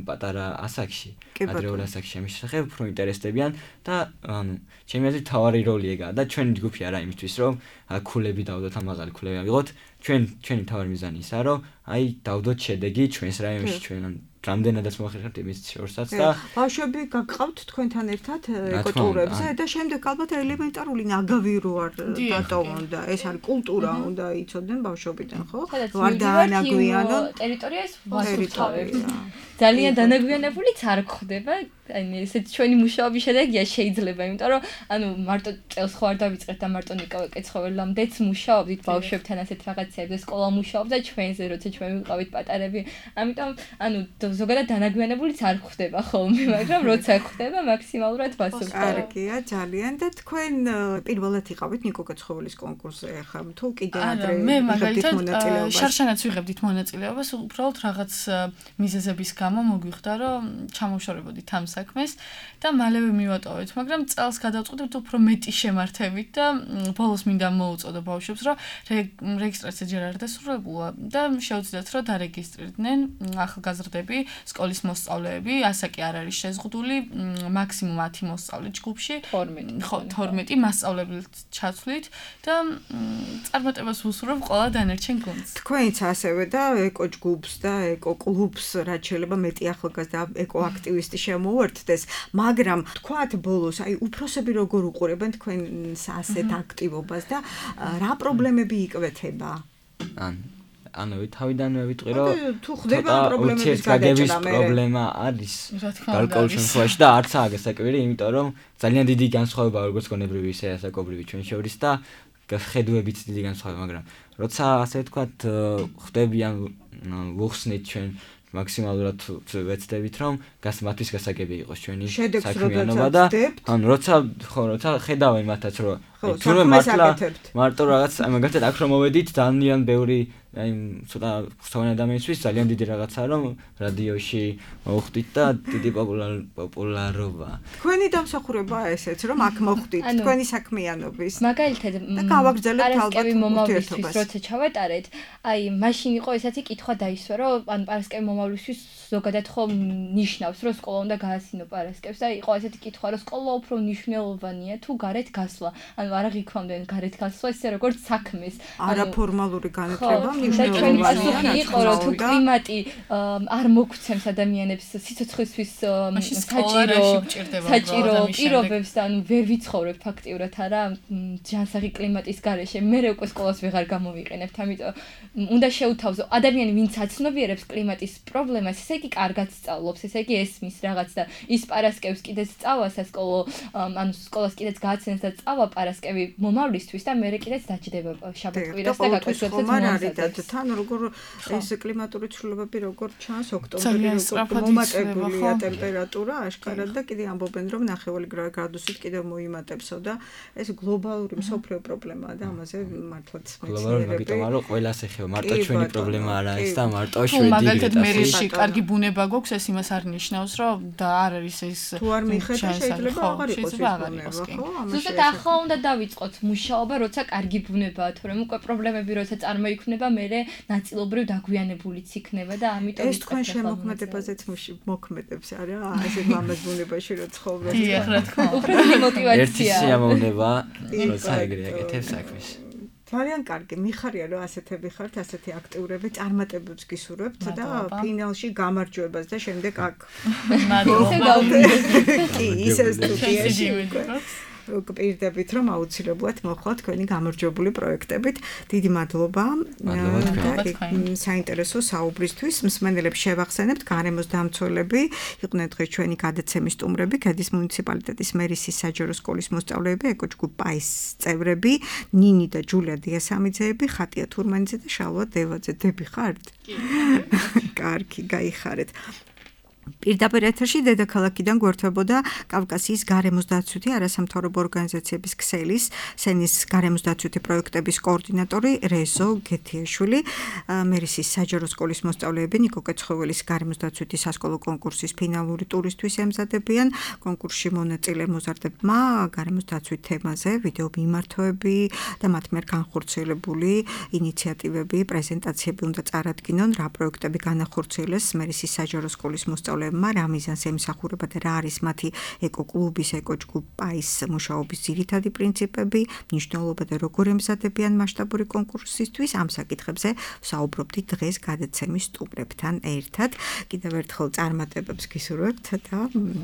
პატარა ასაკში, ადრეულ ასაკში ამის შესახებ უფრო ინტერესდებიან და ანუ ჩემი აზრით თავარი როლი ეგაა და ჩვენი ჯგუფი არა იმისთვის, რომ ქულები დავდოთ, ამაღალი ქულები ავიღოთ, ჩვენი თავარი მიზანი ისაა, რომ აი დავდოთ შედეგი ჩვენს რაიონში, ჩვენ რამდენადაც მოახერხებთ იმის შორსაც და ბავშვები გაგყავთ თქვენთან ერთად ეკოტურებზე და შემდეგ ალბათ ელემენტარული ნაგავი რო არ დატოვონ და ეს არის კულტურა უნდა იცოდნენ ბავშვობიდან, ხო? ვარ დაანაგვიანონ ტერიტორიას ვასუფთავებთ. ძალიან დანაგვიანებულიც არ გხდება, აი ესეთ ჩვენი მუშაობის შედეგია შეიძლება, იმიტომ რომ ანუ მარტო წელს ხო არ დავიწყეთ და მარტო ნიკა კეცხოველამდეც მუშაობდით ბავშვებთან ასეთ რაღაცებზე, სკოლა მუშაობდა ჩვენზე, როცა ჩვენ ვიყავით პატარები. ამიტომ ანუ ზოგადად დანაგვიანებულიც არ ხდება ხოლმე, მაგრამ როცა ხდება მაქსიმალურად ვასუფთავებ. კარგია, ძალიან და თქვენ პირველად იყავით ნიკო კეცხოველის კონკურსზე, ხა თუ კიდე ადრე მე მაგალითად შარშანაც ვიღებდით მონაწილეობას, უბრალოდ რაღაც მიზეზების გამო მოგვიხდა, რომ ჩამოვშორებოდით ამ საქმეს და მალევე მივატოვეთ, მაგრამ წელს გადავწყვეტეთ უფრო მეტი შემართებით და ბოლოს მინდა მოუწოდო ბავშვებს, რომ რეგისტრაცია ჯერ არ დასრულებულა და შეუძლიათ, რომ დარეგისტრირდნენ ახალგაზრდები, სკოლის მოსწავლეები, ასაკი არ არის შეზღუდული, მაქსიმუმ 10 მოსწავლე ჯგუფში, 12 მასწავლებელს ჩაცვლით და წარმატებას ვუსურვებ ყველა დანარჩენ გუნდს. თქვენიც ასევე და ეკო ჯგუფს და ეკო კლუბს რაც შეიძლება მეტი ახალგაზრდა ეკო აქტივისტი შემოუერთდეს, მაგრამ თქვათ ბოლოს, აი უფროსები როგორ უყურებენ თქვენს ასეთ აქტივობას და რა პრობლემები იკვეთება? ანუ თავიდანვე ვიტყვი, რომ თუ ხდება პრობლემების გადაჭრა პრობლემა არის გარკვეულ შემთხვევაში და არც აგასაკვირი, იმიტომ რომ ძალიან დიდი განსხვავებაა როგორც გონებრივი ისე ასაკობრივი ჩვენ შორის და ხედუებით დიდი განსხვავება, მაგრამ როცა ასე ვთქვათ ხდებიან ვუხსნით ჩვენ მაქსიმალურად ვეცდებით, რომ მათთვის გასაგები იყოს ჩვენი საქმიანობა და ანუ როცა ხედავენ მათაც რომ თუნდაც მარტო რაღაც მაგალითად აქ რომ მოვედით ძალიან ბევრი აი ცოტა სხვადასხვა ადამიანისთვის ძალიან დიდი რაღაცაა რომ რადიოში მოხვდით და დიდი პოპულარობა. თქვენი დამსახურებაა ესეც რომ აქ მოხვდით თქვენი საქმიანობის. მაგალითად და გავაგრძელებთ ალბათ მომავლისთვის როცა ჩავატარეთ, აი მაშინ იყო ესეთი კითხვა დაისვა რომ ან პარასკევი მომავლისთვის ზოგადად ხომ ნიშნავს რომ სკოლა უნდა გაასინო პარასკევს და იყო ესეთი კითხვა რომ სკოლა უფრო მნიშვნელოვანია თუ გარეთ გასვლა. ანუ არა ღიქვამდენ გარეთ გასვლა ისე როგორც საქმეს. არაფორმალური განათლება მნიშვნელოვანია. იყო რომ თუ კლიმატი არ მოგვცემს ადამიანებს სიცოცხლისთვის საჭირო პირობებს და ანუ ვერ ვიცხოვრებთ ფაქტიურად არა ჯანსაღი კლიმატის გარეშე. მე უკვე სკოლას ვეღარ გამოვიყენებთ, ამიტომ უნდა შეუთავზო ადამიანი ვინც აცნობიერებს კლიმატის პრობლემას, ესე იგი კარგად სწავლობს, ესე იგი ესმის რაღაც და ის პარასკევს კიდეც სწავა სასკოლო, ანუ სკოლას კიდეც გააცნეს და სწავა პარასკევს პარასკევი მომავლისთვის და მე კიდეც დაჭდება შაბათ-კვირას და გაკეთებთ მომზადებს. თან როგორ ეს კლიმატური ცვლილებები როგორ ჩანს ოქტომბერი როგორ მომატებულია ტემპერატურა აშკარად და კიდე ამბობენ რომ 9 გრადუსით კიდევ მოიმატებსო და ეს გლობალური მსოფლიო პრობლემაა და ამაზე მართლაც მეცნიერები იმიტომ რომ ყველას ეხება მარტო ჩვენი პრობლემა არა ეს და მარტო შვედი მაგალითად მერიაში კარგი ბუნება გვაქვს ეს იმას არ ნიშნავს რომ და არ არის ეს თუ არ მიხედა შეიძლება აღარ იყოს ეს ბუნება ზუსტად ახლა უნდა დავიწყოთ მუშაობა როცა კარგი ბუნებაა თორემ უკვე პრობლემები როცა წარმოიქმნება მე ნაწილობრივ დაგვიანებულიც იქნება და ამიტომ ეს თქვენ შემოქმედებაზეც მოქმედებს არა ასე მამას ბუნებაში რო ცხოვრობთ დიახ რა თქმა უნდა უფრო мотивация ერთი სიამოვნება როცა ეგრე აკეთებს საქმეს ძალიან კარგი მიხარია რომ ასეთები ხართ ასეთი აქტიურები წარმატებებს გისურვებთ და ფინალში გამარჯვებას და შემდეგ აქ კი ისე სტუდიაში გვპირდებით რომ აუცილებლად მოხდა თქვენი გამარჯვებული პროექტებით. დიდი მადლობა. საინტერესო საუბრისთვის. მსმენელებს შევახსენებთ გარემოს დამცველები იყვნენ დღეს ჩვენი გადაცემის სტუმრები, ქედის მუნიციპალიტეტის მერიის საჯარო სკოლის მოსწავლეები, ეკოჯგუფ პაის წევრები, ნინი და ჯულია დიასამიძეები, ხატია თურმანიძე და შალვა დევაძე. დები ხართ? კარგი, გაიხარეთ. პირდაპირ ეთერში დედაქალაქიდან გვერდებოდა კავკასიის გარემოს დაცვითი არასამთავრობო ორგანიზაციების ქსელის სენის გარემოს დაცვითი პროექტების კოორდინატორი რეზო გეთიაშვილი, მერიის საჯარო სკოლის მოსწავლეები ნიკო კეცხოველის გარემოს დაცვითი სასკოლო კონკურსის ფინალური ტურისთვის ემზადებიან. კონკურსში მონაწილე მოზარდებმა გარემოს დაცვით თემაზე ვიდეო მიმართვები და მათ მიერ განხორციელებული ინიციატივები, პრეზენტაციები უნდა წარადგინონ, რა პროექტები განახორციელეს მერიის საჯარო სკოლის მოსწავლეებმა. რა მიზანს ემსახურება და რა არის მათი ეკოკლუბის ეკოჯგუფ პაის მუშაობის ძირითადი პრინციპები, მნიშვნელობა და როგორ ემზადებიან მასშტაბური კონკურსისთვის. ამ საკითხებზე საუბრობდით დღეს გადაცემის სტუმრებთან ერთად. კიდევ ერთხელ წარმატებებს გისურვებთ და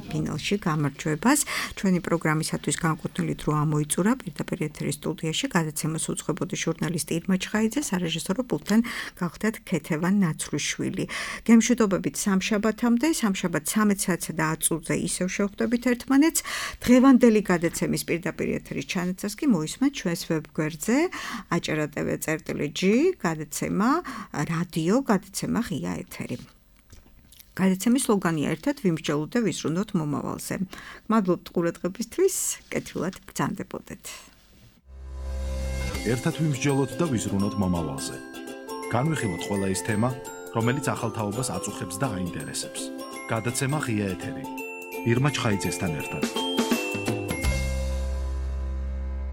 ფინალში გამარჯვებას. ჩვენი პროგრამისათვის განკუთვნილი დრო ამოიწურა პირდაპირ ეთერის სტუდიაში. გადაცემას უძღვებოდი ჟურნალისტი ირმა ჩხაიძე, სარეჟისორო პულტთან გახდათ ქეთევან ნაცვლიშვილი. გემშვიდობებით სამშაბათამდე სამშაბათ 13 საათსა და 10 წუთზე ისევ შევხვდებით ერთმანეთს. დღევანდელი გადაცემის პირდაპირ ეთერის ჩანაცვლას კი მოისმენთ ჩვენს ვებგვერდზე acara.tv/g გადაცემა რადიო გადაცემა ღია ეთერი. გადაცემის სლოგანია ერთად ვიმსჯელოთ და ვიზრუნოთ მომავალზე. მადლობთ ყურადღებისთვის, კეთილად ბრძანდებოდეთ. ერთად ვიმსჯელოთ და ვიზრუნოთ მომავალზე. განვიხილოთ ყველა ის თემა, რომელიც ახალ თაობას აწუხებს და აინტერესებს. გადაცემა ღია ეთერი. ირმა ჩხაიძესთან ერთად.